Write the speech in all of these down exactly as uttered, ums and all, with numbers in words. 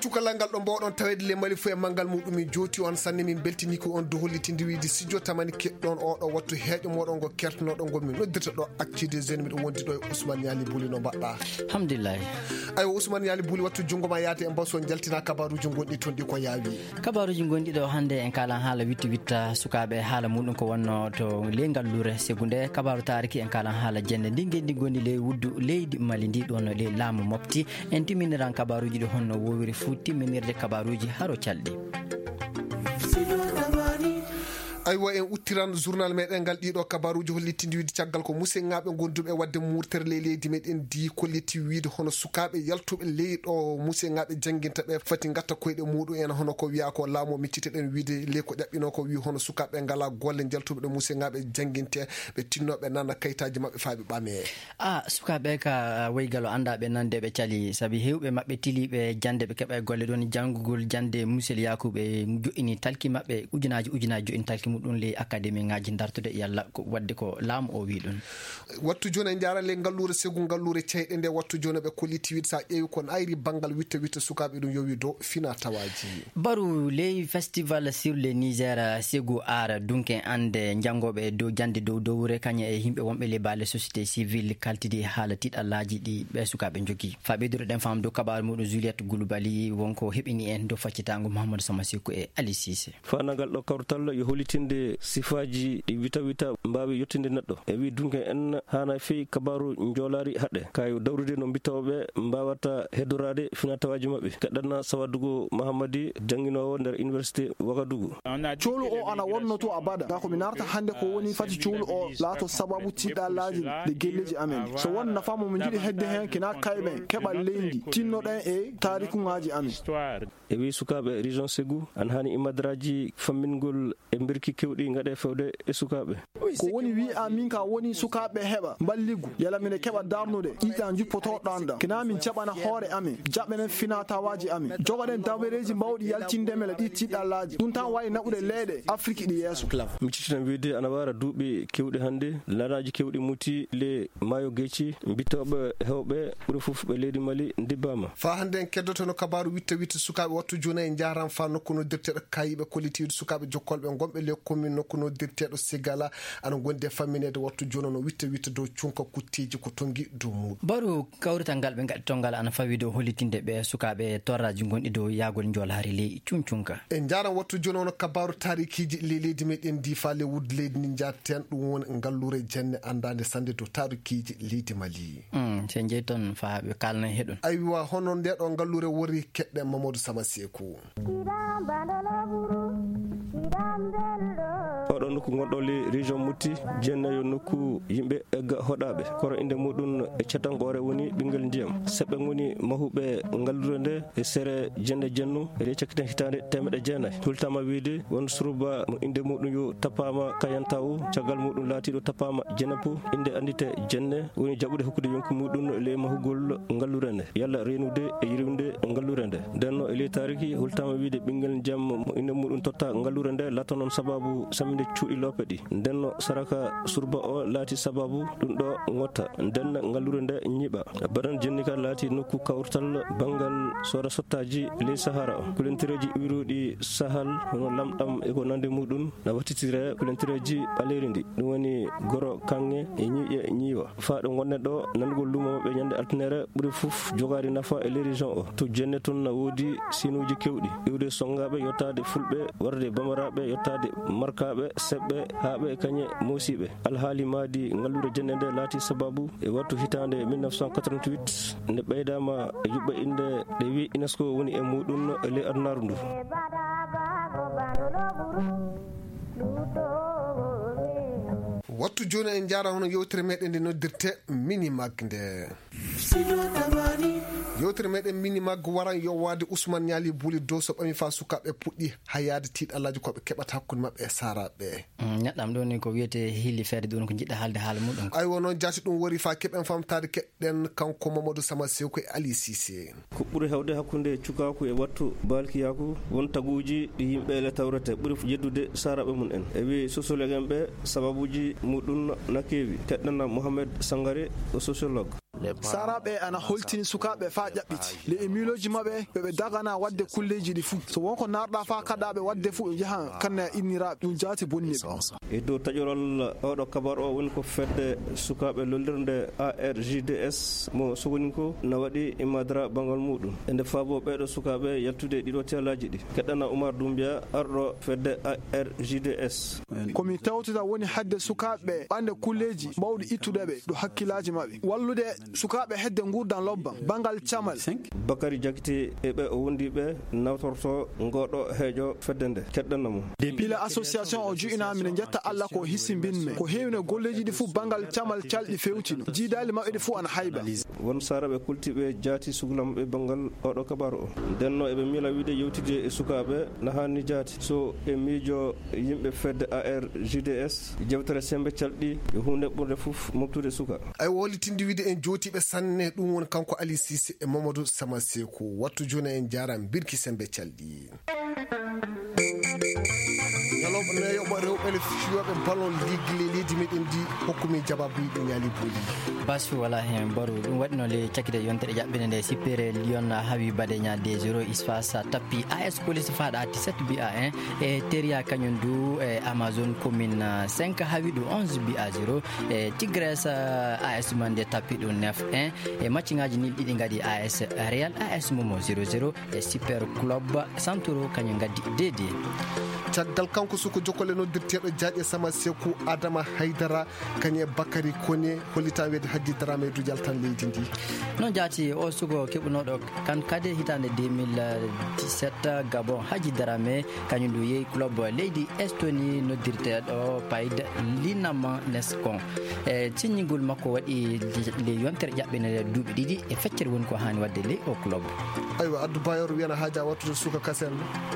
Cukalal ngal ɗo mbawɗon taweede le Mali fof e manngal muɗum, min jooti on sanne, min mbeltiniiki on dow hollitinde wiide studio tamani keɗɗon oɗo wattu heeƴo moɗon ngo kertanoɗo ngo min noddirta ɗo actu des jeunes, miɗo wondi ɗo e Ousmane Niali Buli, no mbaɗɗa? Alhamdulillahi. Aywa Ousmane Niali Buli, wattu junngo ma yaade e mbaw so jaltina kabaruuji gonɗi toon ɗi ko yaawi. Kabaruuji gonɗi ɗo hannde en kalan haala witta witta sukaaɓe, haala muɗum ko wonno to ley ngalluure Segu nde kabaru taariki, en kalan haala jenne ndi ngenndi gonndi ley wuddu leydi Mali ndi ɗon ley laamu mofti. En timminiran kabaruuji ɗi honno woowiri fuu timminirde kabaruuji haro calɗi. Aywa, en uttiran journal meɗen ngal ɗiɗo kabaruuji hollitinde wiide caggal ko musidɓe ngonduɓe e waɗde murtere ley leydi meɗen ndi kolliti wiide hono sukaaɓe yaltuɓe ley ɗo musidɓe janginta ɓe fati ngatta koyɗe muɗum en, hono ko wiya ko laamu micciteɗen wiide ley ko ƴaɓɓino ko wi hono sukaaɓe ngala golle, jaltuɓe ɗo musidɓe janginte ɓe tinno ɓe nana kayitaaji maɓɓe faa ɓe ɓame. A, sukaaɓe ka, a, woygal o anndaa ɓe nande ɓe cali, sabi heewɓe maɓɓe tiliiɓe jannde ɓe keɓa e golle ɗon, janngugol jannde Musel Yaakuuɓe joɗɗini talki maɓɓe, ujunaaji ujunaaji joɗɗini talki muɗum ley akademiŋaaji dartude yalla ko waɗde ko laamu o wi ɗum. Wattu jooni en njaara ley ngalluure Segu, ngalluure ceyɗe nde wattu jooni ɓe kolliti wiide so a ƴeewi kon ayri banngal witta witta sukaaɓe ɗum yowi dow fina tawaaji. Baru ley Festival sur le Niger, Segu Art, dunke annde janngooɓe dow jannde dow dowre, kañum e yimɓe wonɓe ley baale société civile kaltidi haala tiiɗallaaji ɗi ɓee sukaaɓe njogii. Faa ɓeydude ɗen faamu dow kabaaru muɗum, Juliette Goulibaly wonko heɓini en dow faccitaango Mouhamadou Sama Sekou e Ali Cissé. Faandagal ɗo kawrital yo hollitinde sifaaji ɗi wita wita mbaawi yettinde neɗɗo. E wi dunke en haana fii kabaaru njoolaari haɗe. Kayo dawrude no mbitooɓe mbaawata heddoraade finatawaaji maɓɓe. Keɗɗana Sawadugu Mahamadi, jannginoowo nder Université Ouagadougou. Coolu o ana wonno to abada. Kaa ko mi narata hannde ko woni fati coolu o laato sababu tiiɗallaaji ɗi gelleeji amen. So won nafa mo min njiɗi hedde heen, kina kayɓe keɓal leydi, tinnoɗen e taarikuŋaaji amen. E wi sukaaɓe région Segu, ana haani imadraaji fammingol e mbirki kewɗi ngaɗe fewde e sukaaɓe. Ko woni wi'a min ka woni sukaaɓe heɓa mballigu, yala mine keɓa darnude ƴiƴƴa njuppoto ɗanɗa. Kina min jaɓana hoore amen, jaɓɓenen finatawaaji amen, jogoɗen dabareeji mbawɗi yaltinde mele ɗi tiiɗallaaji. Ɗum tan wawi naɓude leyɗe Afrik ɗi yeeso. Mi cittitan wiide ana wara duuɓi kewɗi hannde, lanaaji kewɗi muti le maayo Geeci, mbitooɓe heewɓe ɓuri fof ɓe leydi Mali ndibbaama. Faa hannde en keddotono kabaaru witta witta sukaaɓe wattu jooni en njaaran faa nokku noddirteeɗo kayiɓe kollitiiɗo sukaaɓe jokkolɓe ngonɓe ley komin nokku noddirteeɗo Sigala ana ngondi e fammineede wattu jooni no witta witta dow cunka kutteeji ko tongi dow muuɗum. Baru kawrital ngal ɓe ngaɗi to ngal ana fawi dow hollitinde ɓe sukaaɓe torraaji gonɗi dow yaagol njoolaari ley cuncunka. En njaaran wattu jooni ono kabaaru taarikiiji ley leydi meɗen ndi faa ley wuddu leydi ndi njaaten ɗum woni ngalluure jenne anndaande sannde dow taarikiiji leydi Mali. Mm, so en njeyii toon faa ɓe kaalna e heɗun. Aywa, hono nde ɗo ngalluure wori keɗɗen Mamadou Sama Seeku. Oɗo nokku ngonɗo le région Mopti, jenne yo nokku yimɓe egga hoɗaaɓe. Koro innde muɗum e catangoore woni ɓinngel ndiyam. Seɓɓe ngoni mahuɓe ngalluure nde e sere jenne jennu e ley cakkite hitaande teemeɗɗe jeenayi. Hultama wiide won suruba mo innde muɗum yo tappaama Kayantawu, caggal muɗum laatiiɗo tappaama Jenepu, innde anndite jenne woni jaɓude hokkude yonki muɗum ley mahugol ngalluure nde, yalla reenude e yirwinde ngalluure nde. Ndenno e ley taariki hultama wiide ɓinngel jam mo innde muɗum totta ngalluure nde laata noon sababu samminde cuuɗi loope ɗi. Ndenno saraka surba o laati sababu ɗum ɗo ngotta. Nden ngalluure nde ñiiɓa. Badan jennika laati nokku kawrital banngal soda sottaaji ley Sahara o. Kulentereeji iwruɗi Sahal hono lamɗam e ko nande muɗum na wattitire kulentereeji ɓaleeri ndi. Ɗum woni goro kaŋŋe e ñiiƴe ñiiwa. Faa ɗo ngonɗen ɗo, nanugol luumo maɓɓe ñande altinere ɓuri fof jogaade nafa e ley région o. To jenne toon na woodi siinuuji kewɗi. Iwde sonngaaɓe yottaade fulɓe, warde bamaraaɓe yottaade markaaɓe, seɓɓe, haaɓe e kañe moosiiɓe. Alhaali maadi ngalluure jenne nde laati sababu e wattu hitaande mille neuf cent quatre-vingt-huit nde ɓeydaama e yuɓɓe innde ɗe wi UNESCO woni e muɗum e ley adunaaru ndu. Wattu jooni en njaara hono yewtere meɗen nde noddirte Minimag nde. Yewtere meɗen Minimag waran yowaade Ousmane Niali Buli dow so ɓami faa sukaaɓe puɗɗi hayaade tiiɗallaaji ko ɓe keɓata hakkunde maɓɓe e saaraaɓe. Mm, neɗɗam ɗo ni ko wiyete hili feere ɗum ko jiɗɗa haalde haala muɗum. Aywa noon jaati ɗum wori faa keɓen famtaade keɗɗen kanko Mamadou Sama Sew ko e Ali Cissé. Ko ɓuri heewde hakkunde cukaaku e wattu baalkiyaaku won taguuji ɗi yimɓe ele tawrete ɓuri yeddude saaraaɓe mum en. E wi sociologue en ɓe sababuuji muɗum na keewi. Keɗɗana Mohamed Sangare o sociologue. Saaraaɓe ana holtini sukaaɓe faa ƴaɓɓiti. Le e miilooji maɓɓe, ɓe ɓe dagana waɗde kulleeji ɗi fuu. So won ko naarɗaa faa kaɗaaɓe waɗde fuu, ɓe njahan kanne inniraaɓe. Ɗum jaati bonni ɓe. E dow taƴoral oɗo kabar o woni ko fedde sukaaɓe lollirnde A R J D S mo Sogoninko na waɗi imadara banngal muɗum. E nde faabo ɓeeɗo sukaaɓe yaltude ɗiɗo teelaaji ɗi. Keɗɗana Umar Dumbiya, arɗo fedde A R J D S. Ko mi tawtata woni hadde sukaaɓe ɓe ɓande kulleeji mawɗi ittude ɓe ɗo hakkillaaji maɓɓe. Wallude sukaaɓe hedde nguurdan lobban, banngal camal. Bakari Jakite e ɓe o wondi ɓe nawtorto ngoɗo heeƴo fedde nde. Keɗɗana mo. Pila association o ju'ina, miɗen njetta Alla ko hisimbin men. Ko heewino golleeji ɗi fuu banngal camal calɗi fewtino. Jiidaali maɓɓe ɗi fuu ana hayba. Won saaraaɓe kultiiɓe jaati sukla maɓɓe banngal oɗo kabaru o. Ndenno eɓe miila wiide yewtide e sukaaɓe na haani jaati. So e miijo yimɓe fedde A R J D S, jewtere sembe calɗi e huunde ɓurde fof moftude suka. Ay o hollitinde wiide en jootiiɓe sanne, ɗum woni kanko Ali Cissé e Mamadou Sama Seku. Wattu jooni en njaara mbirki sembe calɗi. Ñalawma nayoɓo rewɓe le fiyooɓe ballon ligue le leydi meɗen ndi hokkumi jabaabu yiɗi ñaali booli. Basu wala hen baru ɗum waɗino le cakide yontere jaɓɓinde nde sippere Lyon hawi Badeña deux zéro, Isfas tappi A S Police Fada ati sept bi a un, e Teria kañum du e Amazon commune cinq hawi ɗum onze bi a zéro, e Tigres A S Mande tappi ɗum neuf un, e match ngaji nil ɗiɗi ngadi A S Real A S Momo zéro zéro, e Super Club Santoro kañum ngaddi deux deux. Caggal kanko suko jokkole noddirteeɗo jaaƴe Sama Seku, Adama Haydara, kañum e Bakari Kone, hollitaa weede Hajji Darame e dujal tan leydi ndi. Noon jaati o suko keɓunooɗo kan kade hitaande deux mille dix-sept, Gabon, Hajji Darame, kañum ndu yehi club leydi Estonie noddirteeɗo Payd Linaman Neskon. E siññingol makko waɗi le yontere ƴaɓɓinere duuɓi ɗiɗi e feccere woni ko haani waɗde ley o club. Aywa, Addu Bayor wiyana haaja wattude suka kasen.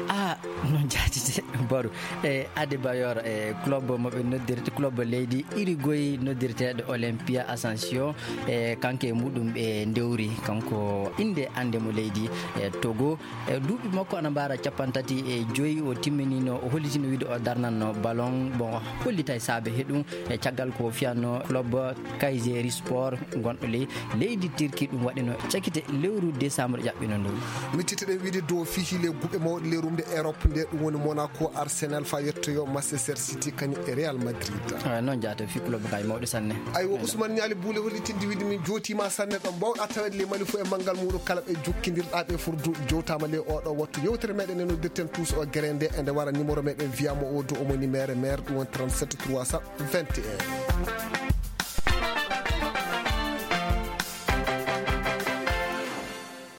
Ah, noon jaati de, Baru. E Ade Bayor, e club mo ɓe noddirte, club leydi Uruguay noddirteeɗo Olympia Ascension, e kanko e muɗum ɓe ndewri, kanko innde annde mo leydi e Togo. E duuɓi makko ana mbaara capanɗe tati e joyi, o timminino, o hollitino wiide o darnanno ballon. Bon, hollitay saabe he ɗum, e caggal ko fiyanno club Kayseri Sport gonɗo ley leydi Turki, ɗum waɗino cakite lewru décembre ƴaɓɓino ndu. Mittiteɗen wiide dow fihi le guɓe mawɗe le rumde Europe nde, ɗum woni Monaco, Arsenal, fa yettoyo Manchester City, kañum e Real Madrid. Ah, noon jaata fi club kay mawɗo sanne. Aywa, Ousmane Ñaali Buule hollitinde wiide min jootiima sanne ɗo mbawɗa tawede le Mali fof e manngal muɗum kala ɓe jokkindirɗa ɓe furdu jowtaama le oɗo wattu. Yewtere meɗen e noddirten tous o gere nde, e nde wara numéro meɗen wiyama o dow omo numéro maire, ɗum woni trente-sept trois cent vingt et un.